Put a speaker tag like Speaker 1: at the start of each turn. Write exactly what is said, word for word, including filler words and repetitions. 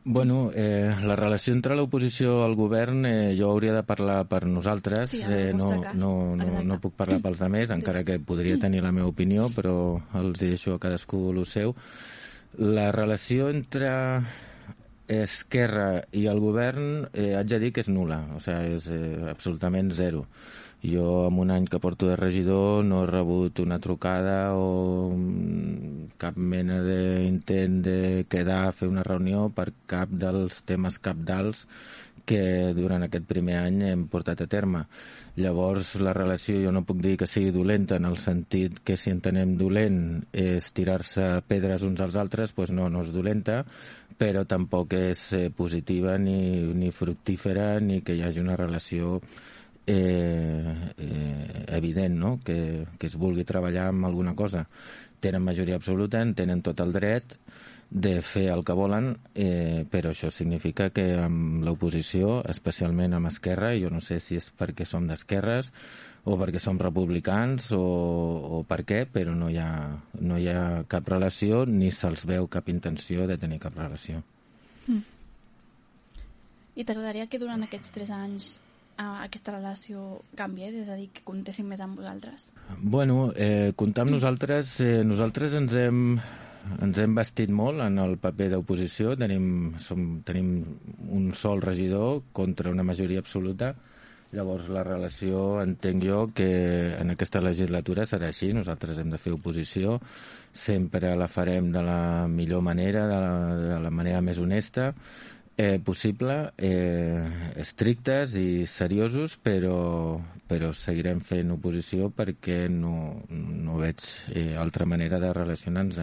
Speaker 1: Bueno, eh, la relació entre l'oposició al govern, eh, jo hauria de parlar per nosaltres,
Speaker 2: sí, eh,
Speaker 1: no,
Speaker 2: cas.
Speaker 1: no, no, no puc parlar pels altres, encara que podria tenir la meva opinió, però els deixo a cadascú el seu. La relació entre Esquerra i el govern eh, haig de dir que és nul·la, o sigui, és eh, absolutament zero. Jo, en un any que porto de regidor, no he rebut una trucada o cap mena d'intent de quedar a fer una reunió per cap dels temes cabdals que durant aquest primer any hem portat a terme. Llavors, la relació jo no puc dir que sigui dolenta, en el sentit que si entenem dolent és tirar-se pedres uns als altres, doncs no, no és dolenta, però tampoc és eh, positiva ni, ni fructífera ni que hi hagi una relació Eh, eh, evident, no? que, que es vulgui treballar amb alguna cosa. Tenen majoria absoluta, en tenen tot el dret de fer el que volen, eh, però això significa que amb l'oposició, especialment amb Esquerra, jo no sé si és perquè som d'esquerres o perquè som republicans o, o per què, però no hi ha, no hi ha cap relació ni se'ls veu cap intenció de tenir cap relació.
Speaker 2: Mm. I t'agradaria que durant aquests tres anys aquesta relació canviés, és a dir, que comptéssim més amb vosaltres?
Speaker 1: Bueno, eh, comptar amb nosaltres, eh, nosaltres ens hem, ens hem vestit molt en el paper d'oposició, tenim, som, tenim un sol regidor contra una majoria absoluta, llavors la relació entenc jo que en aquesta legislatura serà així, nosaltres hem de fer oposició, sempre la farem de la millor manera, de la, de la manera més honesta, Eh, possible, eh, estrictes i seriosos, però, però seguirem fent oposició perquè no, no veig eh, altra manera de relacionar-nos.